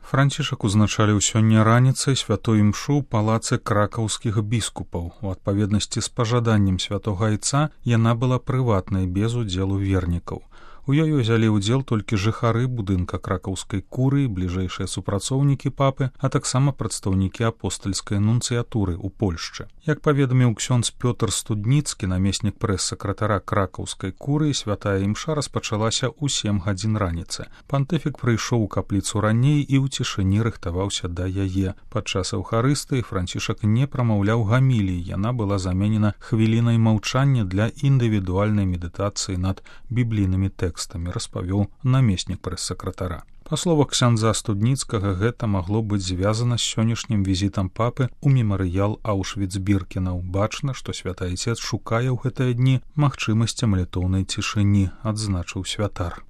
Францішак узначаліў сёння раніцай святой імшу ў палацы кракаўскіх біскупаў. У адпаведнасці з пажаданнем святога айца яна была прыватнай без удзелу вернікаў. У ёй узялі ўдзел толькі жыхары будынка кракаўскай курыі, бліжэйшыя супрацоўнікі папы, а таксама прадстаўнікі апостальскай нунцыятуры ў Польшчы. Як паведаміў ксёндз Пётр Студніцкі, намеснік прэс-сакратара кракаўскай курыі, святая імша распачалася ў 7 гадзін раніцы. Пантыфік прыйшоў у капліцу раней і ў цішыні рыхтаваўся да яе. Падчас эўхарыстыі Францішак не прамаўляў гаміліі, яна была заменена хвілінай маўчання для індывідуальнай медытацыі над біблійнымі тэкстамі, распавёў намеснік прэс-сакратара. Па словах ксяндза Студніцкага, гэта магло быць звязана з сённяшнім візітам папы ў мемарыял Аўшвіц-Біркенаў. Бачна, што святы айцец шукае ў гэтыя дні магчымасці малітоўнай цішыні, адзначыў святар.